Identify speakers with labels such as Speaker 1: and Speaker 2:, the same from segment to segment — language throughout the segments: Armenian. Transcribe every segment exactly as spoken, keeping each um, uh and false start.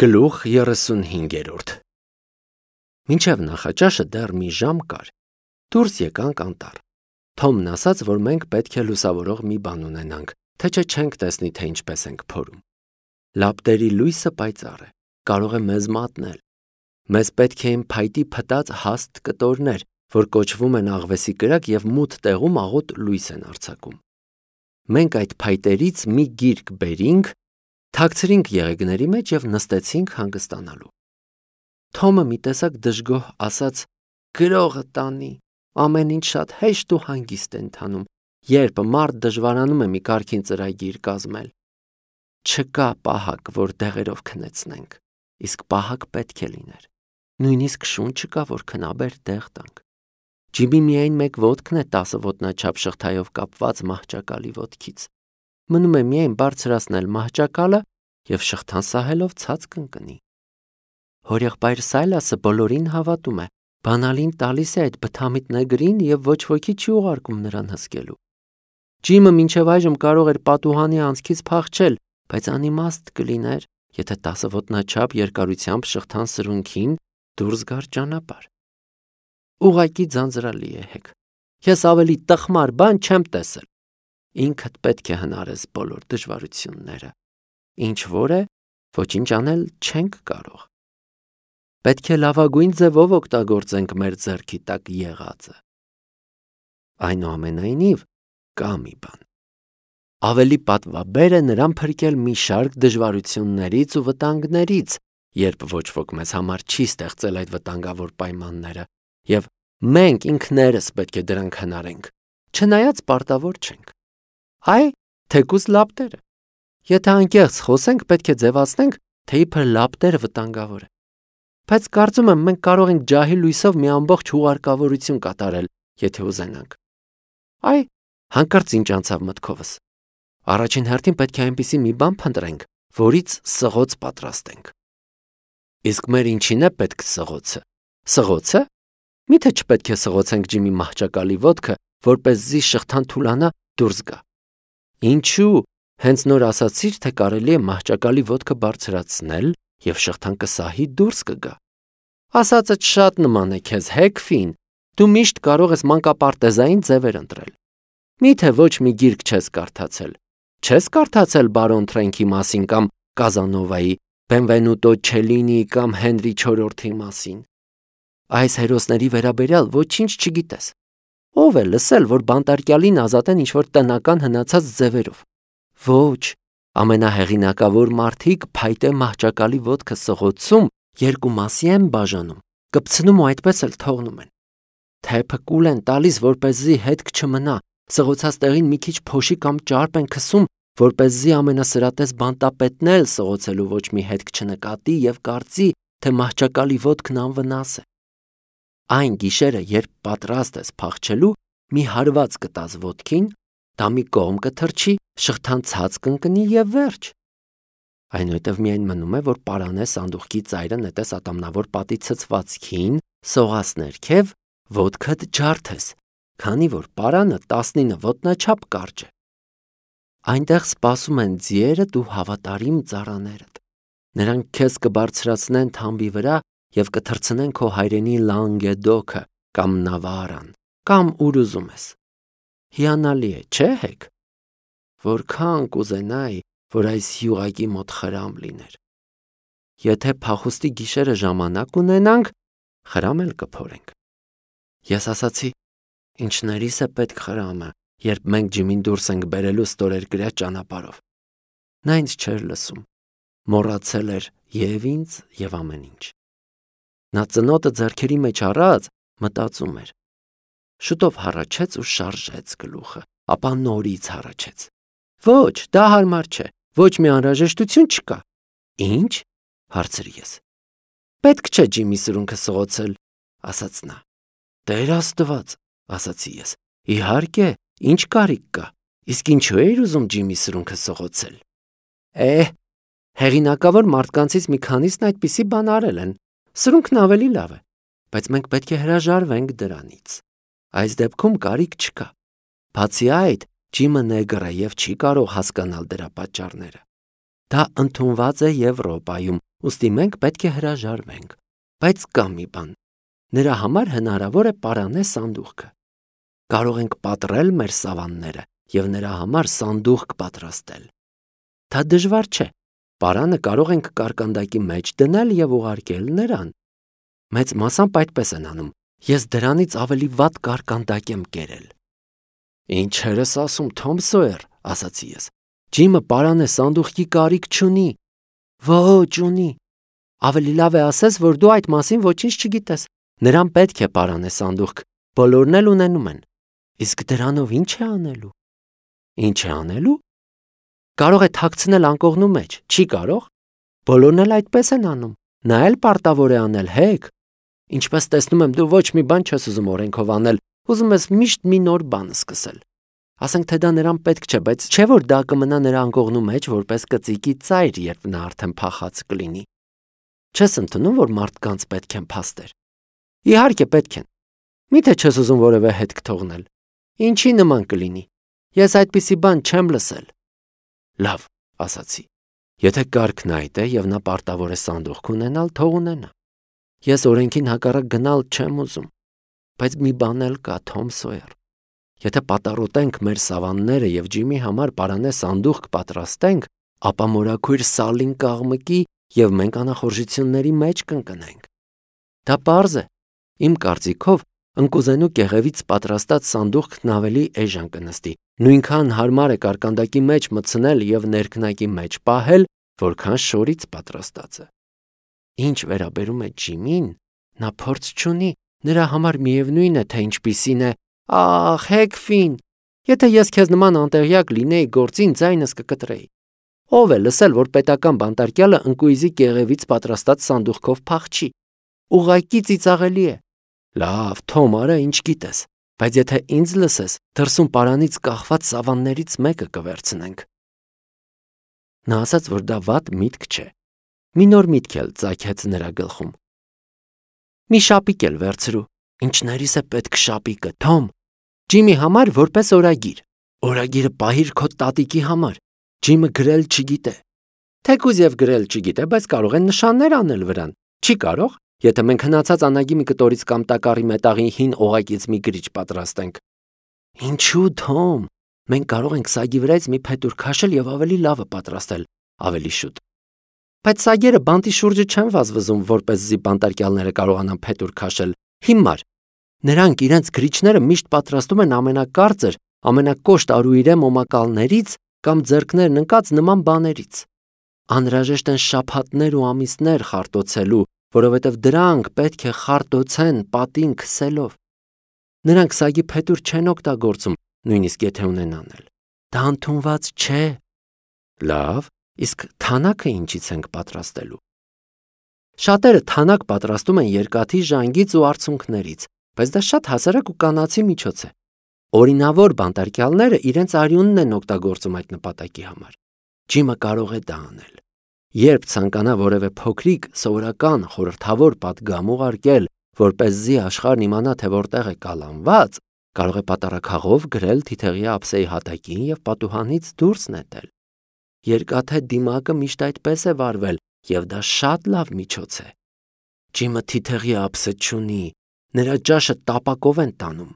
Speaker 1: Գլուխ երեսունհինգերորդ Մինչև նախաճաշը դեռ մի ժամ կար, դուրս եկանք անտառ, Թոմն ասաց, որ մենք պետք է լուսավորող մի բան ունենանք, թե չէ չենք տեսնի, թե ինչպես ենք փորում, լապտերի լույսը պայծառ է, կարող է մեզ մատնել, մեզ պետք էին փայտի փտած հաստ կտորներ, որ կոչվում են աղվեսի կրակ և մութ տեղում աղոտ լույս են արձակում, մենք այդ փայտերից մի գիրք բերինք, թաքցրինք եղեգների մեջ և նստեցինք հանգստանալու։ Թոմը մի տեսակ դժգոհ ասաց. «Գրողը տանի, ամեն ինչ շատ հեշտ ու հանգիստ է ընթանում, երբ մարդ դժվարանում է մի կարգին ծրագիր կազմել։ Չկա պահակ, որ դեղերով քնեցնենք, իսկ պահակ պետք է լիներ, նույնիսկ շուն չկա, որ քնաբեր դեղ տանք։ Ջիմի միայն մեկ ոտքն է տասը ոտնաչափ շղթայով կապված մահճակալի ոտքից։ Մնում է միայն բարձրացնել մահճակալը և շղթան սահելով ցած կընկնի։ Հորեղբայր Սայլասը բոլորին հավատում է, բանալին տալիս է այդ բթամիտ նեգրին և ոչ ոքի չի ուղարկում նրան հսկելու։ Ջիմը մինչև այժմ կարող էր պատուհանի անցքից փախչել, բայց անիմաստ կլիներ, եթե տասը ոտնաչափ երկարությամբ շղթան սրունքին դուրս գար ճանապարհ։ Ուղղակի ձանձրալի է հեկ։ Ես ավելի տխմար բան չեմ տեսել։ Ինքդ պետք է հնարես բոլոր դժվարությունները, ինչ որ է, ոչինչ անել չենք կարող։ Պետք է լավագույն ձևով օգտագործենք մեր ձեռքի տակ եղածը։ Այնուամենայնիվ, կա մի բան։ Ավելի պատվաբեր է նրան փրկել մի շարք դժվարություններից ու վտանգներից, երբ ոչ ոք մեզ համար չի ստեղծել այդ վտանգավոր պայմանները, և մենք ինքներս պետք է դրանք հնարենք, չնայած պարտավոր չենք։ Այ, թեկուզ լապտերը։ Եթե անկեղծ խոսենք, պետք է ձևացնենք, թե իբր լապտերը վտանգավոր է։ Բայց կարծում եմ, մենք կարող ենք ջահի լույսով մի ամբողջ հուղարկավորություն կատարել, եթե ուզենանք։ Այ, հանկարծ ինչ անցավ մտքովս։ Առաջին հերթին պետք է այնպիսի մի բան փնտրենք, որից սղոց պատրաստենք։ Իսկ մեր ինչին է պետք սղոցը։ Սղոցը։ Միթե չպետք է սղոցենք Ջիմի մահճակալի ոտքը, որպեսզի շղթան թուլանա դուրս գա։ Ինչու՞։ Հենց նոր ասացիր, թե կարելի է մահճակալի ոտքը բարձրացնել և շղթան կսահի դուրս կգա։ Ասածդ շատ նման է քեզ, Հեքֆին, դու միշտ կարող ես մանկապարտեզային ձևեր ընտրել։ Միթե ոչ մի գիրք չես կարդացել։ Չես կարդացել բարոն Թրենքի մասին կամ Կազանովայի, Բենվենուտո Չելինիի կամ Հենրի չորրորդի մասին։ Այս հերոսների վերաբերյալ ոչինչ չգիտես։ Ո՞վ է լսել, որ բանտարկյալին ազատեն ինչ-որ տնական հնացած ձևերով։ Ոչ, ամենահեղինակավոր մարդիկ փայտե մահճակալի ոտքը սղոցում երկու մասի են բաժանում, կպցնում ու այդպես էլ թողնում են։ Թեփը կուլ են տալիս, որպեսզի հետք չմնա, սղոցած տեղին մի քիչ փոշի կամ ճարպ են քսում, որպեսզի ամենասրատես բանտապետն էլ սղոցելու ոչ մի հետք չնկատի և կարծի, թե մահճակալի ոտքն անվնաս է։ Այն գիշերը, երբ պատրաստ ես փախչելու, մի հարված կտաս ոտքին, դա մի կողմ կթռչի, շղթան ցած կընկնի և վերջ։ Այնուհետև միայն մնում է, որ պարանես սանդուղքի ծայրը նետես ատամնավոր պատի ցցվածքին, սողաս ներքև, ոտքդ ջարդես, քանի որ պարանը տասնինը ոտնաչափ կարճ է։ Այնտեղ սպասում են ձիերդ ու հավատարիմ ծառաներդ։ Նրանք քեզ կբարձրացնեն թամբի վրա և կթռցնեն քո հայրենի Լանգեդոքը կամ Նավարան, կամ ուր ուզում ես։ Հիանալի է, չէ՞ հեք։ Որքան կուզենայի, որ այս յուղակի մոտ խրամ լիներ։ Եթե փախուստի գիշերը ժամանակ ունենանք, խրամ էլ կփորենք։ Ես ասացի, ինչներիս է պետք խրամը, երբ մենք Ջիմին դուրս ենք բերելու ստորերկրյա ճանապարհով։ Նա ինձ չէր լսում, մոռացել էր և ինձ, և ամեն ինչ։ Նա ծնոտը ձեռքերի մեջ առած մտածում էր։ Շուտով հառաչեց ու շարժեց գլուխը, ապա նորից հառաչեց։ Ոչ, դա հարմար չէ, ոչ մի անհրաժեշտություն չկա։ Ինչ։ Հարցրի ես։ Պետք չէ Ջիմի սրունքը սղոցել, ասաց նա։ Տեր Աստված, ասացի ես։ Իհարկե, ինչ կարիք կա։ Իսկ ինչու էիր ուզում Ջիմի սրունքը սղոցել։ Է, հեղինակավոր մարդկանցից մի քանիսն այդպիսի բան արել են։ Սրունքն ավելի լավ է, բայց մենք պետք է հրաժարվենք դրանից։ Այս դեպքում կարիք չկա։ Բացի այդ, Ջիմը նեգր է և չի կարող հասկանալ դրա պատճառները։ Դա ընդունված է Եվրոպայում ուստի մենք պետք է հրաժարվենք, բայց կա մի բան. նրա համար հնարավոր է պարանե սանդուղքը։ Կարող ենք պատռել մեր սավանները և նրա համար սանդուղք պատրաստել։ Դա դժվար չէ, պարանը կարող ենք կարկանդակի մեջ դնել և ուղարկել նրան։ Մեծ մասամբ այդպես են անում, ես դրանից ավելի վատ կարկանդակ եմ կերել։ Ինչեր ես ասում, Թոմ Սոյեր, ասացի ես, Ջիմը պարանե սանդուղքի կարիք չունի։ Ոչ, ունի։ Ավելի լավ է ասես, որ դու այդ մասին ոչինչ չգիտես։ Նրան պետք է պարանե սանդուղք, բոլորն էլ ունենում են։ Իսկ դրանով ինչ է անելու։ Ինչ է անելու։ Կարող է թաքցնել անկողնու մեջ, չի կարող։ Բոլորն էլ այդպես են անում։ Նա էլ պարտավոր է անել, հեգ։ Ինչպես տեսնում եմ, դու ոչ մի բան չես ուզում օրենքով անել, ուզում ես միշտ մի նոր բան սկսել։ Ասենք թե դա նրան պետք չէ, բայց չէ որ դա կմնա նրա անկողնու մեջ որպես կծիկի ծայր, երբ նա արդեն փախած կլինի։ Չես ընդունում, որ մարդկանց պետք են փաստեր։ Իհարկե պետք են։ Միթե չես ուզում որևէ հետք թողնել։ Ինչի նման կլինի։ Ես այդպիսի բան չեմ լսել։ Լավ, ասացի։ Եթե կարգն այդ է և նա պարտավոր է սանդուղք ունենալ, թող ունենա։ Ես օրենքին հակառակ գնալ չեմ ուզում։ Բայց մի բան էլ կա, Թոմ Սոյեր։ Եթե պատառոտենք մեր սավանները և Ջիմի համար պարանե սանդուղք պատրաստենք, ապա մորաքույր Սալին կաղմկի և մենք անախորժությունների մեջ կընկնենք։ Դա պարզ է։ Իմ կարծիքով ընկուզենու կեղևից պատրաստած սանդուղքն ավելի էժան կնստի, նույնքան հարմար է կարկանդակի մեջ մտցնել և ներքնակի մեջ պահել, որքան շորից պատրաստածը։ Ինչ վերաբերում է Ջիմին, նա փորձ չունի, նրա համար միևնույն է, թե ինչպիսին է։ Ախ, Հեգֆին, եթե ես քեզ նման անտեղյակ լինեի գործին, ձայնս կկտրեի։ Ով է լսել, որ պետական բանտարկյալը ընկույզի կեղևից պատրաստած սանդուղքով փախչի։ Ուղղակի ծիծաղելի է։ Լավ, Թոմ, արա ինչ գիտես, բայց եթե ինձ լսես, դրսում պարանից կախված սավաններից մեկը կվերցնենք։ Նա ասաց, որ դա վատ միտք չէ։ Մի նոր միտք էլ ծագեց նրա գլխում։ Մի շապիկ էլ վերցրու։ Ինչներիս է պետք շապիկը, Թոմ։ Ջիմի համար որպես օրագիր։ Օրագիրը պահիր քո տատիկի համար։ Ջիմը գրել չգիտե։ Թեկուզ և գրել չգիտե, բայց կարող են նշաններ անել վրան։ Չի կարող, եթե մենք հնացած անագի մի կտորից կամ տակառի մետաղի հին օղակից մի գրիչ պատրաստենք։ Ինչու, Թոմ։ Մենք կարող ենք սագի վրայից մի փետուր քաշել և ավելի լավը պատրաստել, ավելի շուտ։ Բայց սագերը բանտի շուրջը չեն վազվզում, որպեսզի բանտարկյալները կարողանան փետուր քաշել։ Հիմար։ Նրանք իրենց գրիչները միշտ պատրաստում են ամենակարծր, ամենակոշտ արուիրե մոմակալներից կամ ձեռքներն ընկած նման բաներից։ Անհրաժեշտ են շաբաթներ ու ամիսներ խարտոցելու, որովհետև դրանք պետք է խարտոցեն պատին քսելով։ Նրանք սագի փետուր չեն օգտագործում, նույնիսկ եթե ունենան էլ։ Դա ընդունված չէ։ Լավ, իսկ թանակը ինչից ենք պատրաստելու։ Շատերը թանակ պատրաստում են երկաթի ժանգից ու արցունքներից, բայց դա շատ հասարակ ու կանացի միջոց է։ Օրինավոր բանտարկյալները իրենց արյունն են օգտագործում այդ նպատակի համար։ Ջիմը կարող է դա անել։ Երբ ցանկանա որևէ փոքրիկ, սովորական, խորհրդավոր պատգամ ուղարկել, որպեսզի աշխարհն իմանա, թե որտեղ է կալանված, կարող է պատառաքաղով գրել թիթեղի ափսեի հատակին և պատուհանից դուրս նետել։ Երկաթե դիմակը միշտ այդպես է վարվել, և դա շատ լավ միջոց է։ Ջիմը թիթեղի ափսե չունի, նրա ճաշը տապակով են տանում։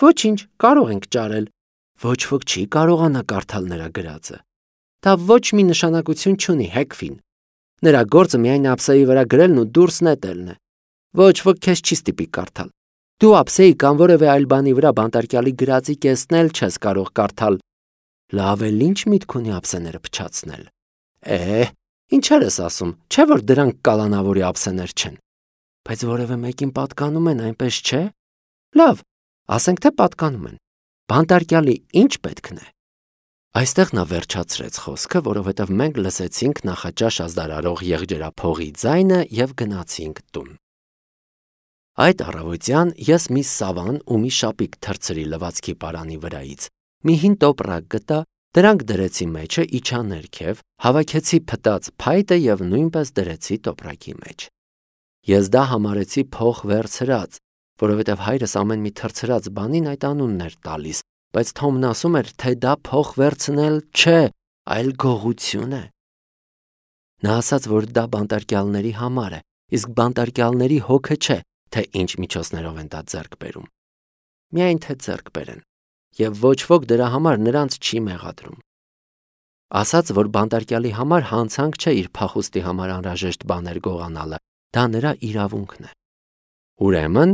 Speaker 1: Ոչինչ, կարող ենք ճարել։ Ոչ ոք չի կարողանա կարդալ նրա գրածը։ Դա ոչ մի նշանակություն չունի, Հեգֆին։ Նրա գործը միայն ափսեի վրա գրելն ու դուրս նետելն է։ Ոչ ոք քեզ չի ստիպի կարդալ։ Դու ափսեի կամ որևէ այլ բանի վրա բանտարկյալի գրածի կեսն էլ չես կարող կարդալ։ Լավ էլ ինչ միտք ունի ափսեները փչացնել։ Է, ինչեր ես ասում, չէ՞ որ դրանք կալանավորի ափսեներ չեն։ Բայց որևէ մեկին պատկանում են, այնպես չէ։ Լավ, ասենք թե պատկանում են։ Բանտարկյալի ինչ պետքն է։ Այստեղ նա վերջացրեց խոսքը, որովհետև մենք լսեցինք նախաճաշ ազդարարող եղջերափողի ձայնը և գնացինք տուն։ Այդ առավոտյան ես մի սավան ու մի շապիկ թռցրի լվացքի պարանի վրայից, մի հին տոպրակ գտա, դրանք դրեցի մեջը, իջա ներքև, հավաքեցի փտած փայտը և նույնպես դրեցի տոպրակի մեջ։ Ես դա համարեցի փող վերցրած, որովհետև հայրս ամեն մի թռցրած բանին այդ անունն էր տալիս, բայց Թոմն ասում էր, թե դա փող վերցնել չէ, այլ գողություն է։ Նա ասաց, որ դա բանտարկյալների համար է, իսկ բանտարկյալների հոգը չէ, թե ինչ միջոցներով են դա ձեռք բերում։ Միայն թե ձեռք բերեն, եւ ոչ ոք դրա համար նրանց չի մեղադրում։ Ասաց, որ բանտարկյալի համար հանցանք չէ իր փախուստի համար անհրաժեշտ բաներ գողանալը, դա նրա իրավունքն է։ Ուրեմն,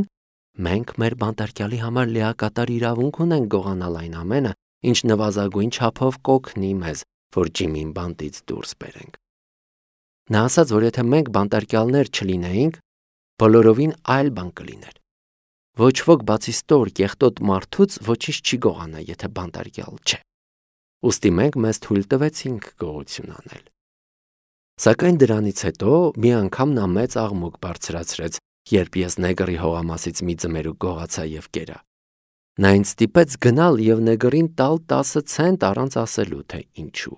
Speaker 1: մենք մեր բանտարկյալի համար լիակատար իրավունք ունենք գողանալ այն ամենը, ինչ նվազագույն չափով կօգնի մեզ, որ Ջիմին բանտից դուրս բերենք։ Նա ասաց, որ եթե մենք բանտարկյալներ չլինեինք, բոլորովին այլ բան կլիներ։ Ոչ ոք բացի ստոր կեղտոտ մարդուց ոչինչ չի գողանա, եթե բանտարկյալ չէ։ Ուստի մենք մեզ թույլ տվեցինք գողություն անել։ Սակայն դրանից հետո մի անգամ նա մեծ աղմուկ բարձրացրեց, երբ ես նեգրի հողամասից մի ձմերուկ գողացա եւ կերա։ Նա ինձ ստիպեց գնալ եւ նեգրին տալ տասը ցենտ առանց ասելու, թե ինչու։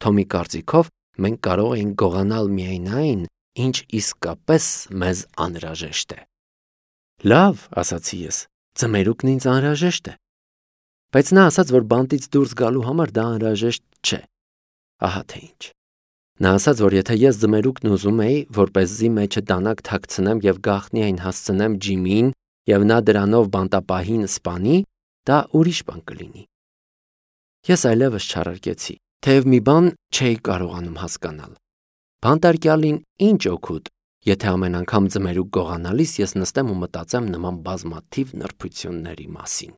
Speaker 1: Թոմի կարծիքով մենք կարող էինք գողանալ միայն այն, ինչ իսկապես մեզ անհրաժեշտ է։ Լավ, ասացի ես, ձմերուկն ինձ անհրաժեշտ է։ Բայց նա ասաց, որ բանտից դուրս գալու համար դա անհրաժեշտ չէ։ Ահա թե ինչ։ Նա ասաց, որ եթե ես ձմերուկն ուզում էի, որպեսզի մեջը դանակ թաքցնեմ եւ գաղտնի այն հասցնեմ Ջիմին եւ նա դրանով բանտապահին սպանի, դա ուրիշ բան կլինի։ Ես այլևս չարարկեցի, թեև մի բան չէի կարողանում հասկանալ։ Բանտարկյալին ինչ օգուտ, եթե ամեն անգամ ձմերուկ գողանալիս ես նստեմ ու մտածեմ նման բազմաթիվ նրբությունների մասին։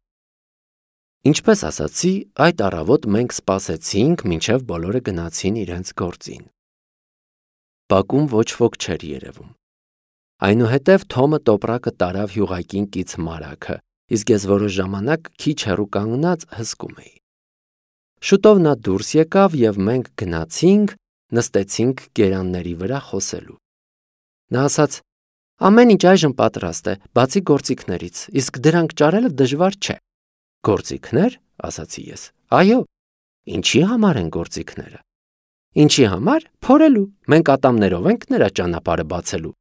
Speaker 1: Ինչպես ասացի, այդ առավոտ մենք սպասեցինք, մինչև բոլորը գնացին իրենց գործին։ Բակում ոչ ոք չէր երևում։ Այնուհետև Թոմը տոպրակը տարավ հյուղակին կից մարագը, իսկ ես որոշ ժամանակ քիչ հեռու կանգնած հսկում էի։ Շուտով նա դուրս եկավ եւ մենք գնացինք, նստեցինք գերանների վրա խոսելու։ Նա ասաց. ամեն ինչ այժմ պատրաստ է, բացի գործիքներից, իսկ դրանք ճարելը դժվար չէ։ Գործիքներ, ասացի ես։ Այո, ինչի համար են գործիքները։ Ինչի համար։ Փորելու։ Մենք ատամներով ենք նրա ճանապարհը բացելու։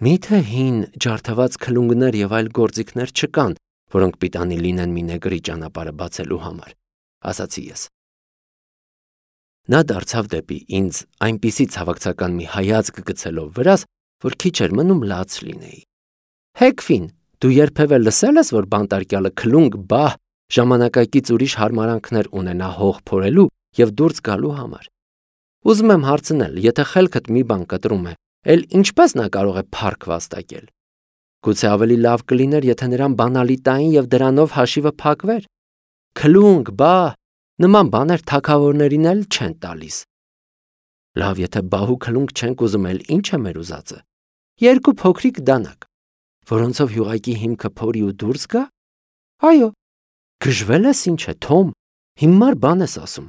Speaker 1: Միթե հին ջարդված քլունգներ եւ այլ գործիքներ չկան, որոնք պիտանի լինեն մի նեգրի ճանապարհը բացելու համար, ասացի ես։ Նա դարձավ դեպի ինձ այնպիսի ցավակցական մի հայացք գցելով վրաս, որ քիչ էր մնում լաց լինեի։ Հեքֆին, դու երբևէ լսել ես, որ բանտարկյալը քլունգ բահ ժամանակակից ուրիշ հարմարանքներ ունենա հող փորելու եւ դուրս գալու համար։ Ուզում եմ հարցնել, եթե խելքդ մի բան կտրում է, էլ ինչպես նա կարող է փառք վաստակել։ Գուցե ավելի լավ կլիներ, եթե նրան բանալի տային եւ դրանով հաշիվը փակվեր։ Քլունգ բահ նման բաներ թագավորներին էլ չեն տալիս։ Լավ, եթե բահու քլունգ չենք ուզում, էլ ինչ է մեր ուզածը։ Երկու փոքրիկ դանակ, որոնցով հյուղակի հիմքը փորի ու դուրս գա։ Այո, գժվել ես ինչ է, Թոմ, հիմար բան ես ասում։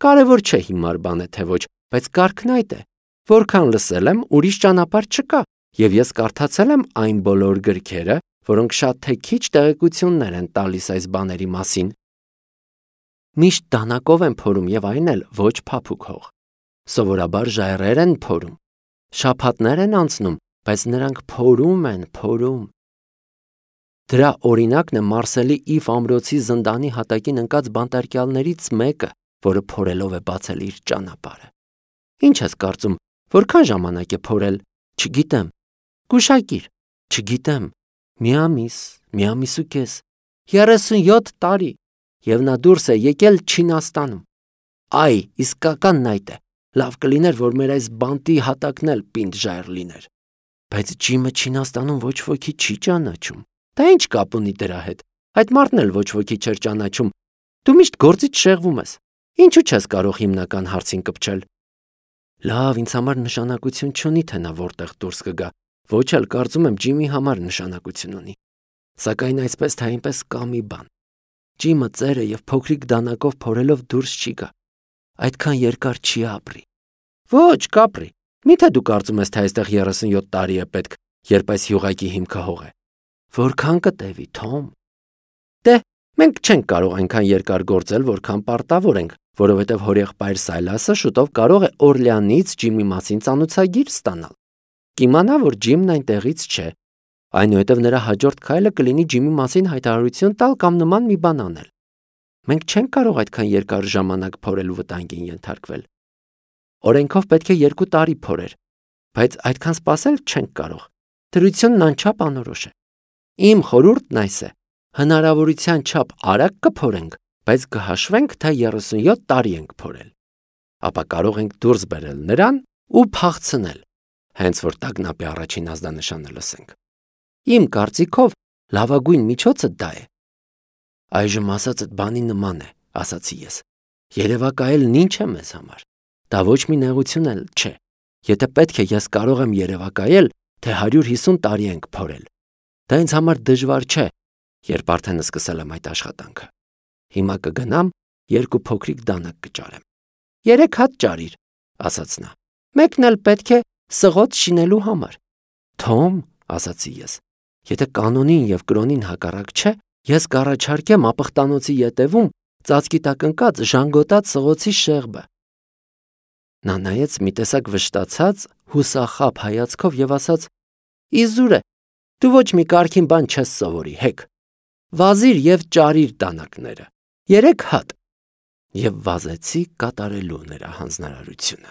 Speaker 1: Կարևոր չէ հիմար բան է թե ոչ, բայց կարգն այդ է։ Որքան լսել եմ, ուրիշ ճանապարհ չկա, եւ ես կարդացել եմ այն բոլոր գրքերը, որոնք շատ թե քիչ տեղեկություններ են տալիս այս բաների մասին։ Միշտ դանակով են փորում եւ այն էլ ոչ փափուկ հող։ Սովորաբար ժայռեր են փորում։ Շաբաթներ են անցնում, բայց նրանք փորում են, փորում։ Դրա օրինակն է Մարսելի Իվ ամրոցի զնդանի հատակին ընկած բանտարկյալներից մեկը, որը փորելով է բացել իր ճանապարհը։ Ինչ ես կարծում, որքան ժամանակ է փորել։ Չգիտեմ։ Գուշակիր։ Չգիտեմ։ Մի ամիս, մի ամիս ու կես, երեսունյոթ տարի, եւ նա դուրս է եկել Չինաստանում։ Այ, իսկականն այդ է։ Լավ կլիներ, որ մեր այս բանտի հատակն էլ պինդ ժայռ լիներ։ Բայց Ջիմը Չինաստանում ոչ ոքի չի ճանաչում։ Դա ինչ կապ ունի դրա հետ։ Այդ մարդն էլ ոչ ոքի չէր ճանաչում։ Դու միշտ գործից շեղվում ես։ Ինչու չես կարող հիմնական հարցին կպչել։ Լավ, ինձ համար նշանակություն չունի, թե նա որտեղ դուրս կգա։ Ոչ էլ կարծում եմ Ջիմի համար նշանակություն ունի։ Սակայն այսպես թե այնպես կա մի բան։ Ջիմը ծերը եւ փոքրիկ դանակով փորելով դուրս չի գա։ Այդքան երկար չի ապրի։ Ոչ, կապրի։ Միթե դու կարծում ես, թե այստեղ երեսունյոթ տարի է պետք, երբ այս հյուղակի հիմքը հող է։ Որքան կտևի, Թոմ։ Դե, մենք չենք կարող այնքան երկար գործել, որքան պարտավոր ենք, որովհետև հորեղբայր Սայլասը շուտով կարող է Օրլեանից Ջիմի մասին ծանոթագիր ստանալ։ Կիմանա, որ Ջիմն այնտեղից չէ։ Այնուհետև նրա հաջորդ քայլը կլինի Ջիմի մասին հայտարարություն տալ կամ նման մի բան անել։ Մենք չենք կարող այդքան երկար ժամանակ փորելու վտանգին ենթարկվել։ օրենքով պետք է երկու տարի փորեր, բայց այդքան սպասել չենք կարող։ Դրությունն անչափ անորոշ է։ Իմ խորհուրդն այս է. հնարավորության չափ արագ կփորենք, բայց կհաշվենք, թե երեսունյոթ տարի ենք փորել։ Ապա կարող ենք դուրս բերել նրան ու փախցնել, հենց որ տագնապի առաջին ազդանշանը լսենք։ Իմ կարծիքով լավագույն միջոցը դա է։ Այժմ ասածդ բանի նման է, ասացի ես։ Երևակայելն ինչ է մեզ համար։ Դա ոչ մի նեղություն էլ չէ։ Եթե պետք է ես կարող եմ երևակայել, թե հարյուր հիսուն տարի ենք փորել։ Դա ինձ համար դժվար չէ, երբ արդեն սկսել եմ այդ աշխատանքը։ Հիմա կգնամ, երկու փոքրիկ դանակ կճարեմ։ Երեք հատ ճարիր, ասաց նա։ Մեկն էլ պետք է սղոց շինելու համար։ Թոմ, ասացի ես, եթե կանոնին եւ կրոնին հակառակ չէ, ես կառաջարկեմ ապխտանոցի ետևում ծածկի տակ ընկած ժանգոտած սղոցի շեղբը։ Նա նայեց մի տեսակ վշտացած, հուսախաբ հայացքով եւ ասաց. Իզուր է, դու ոչ մի կարգին բան չես սովորի, հեկ։ Վազիր եւ ճարիր դանակները։ Երեք հատ։ Եվ վազեցի կատարելու նրա հանձնարարությունը։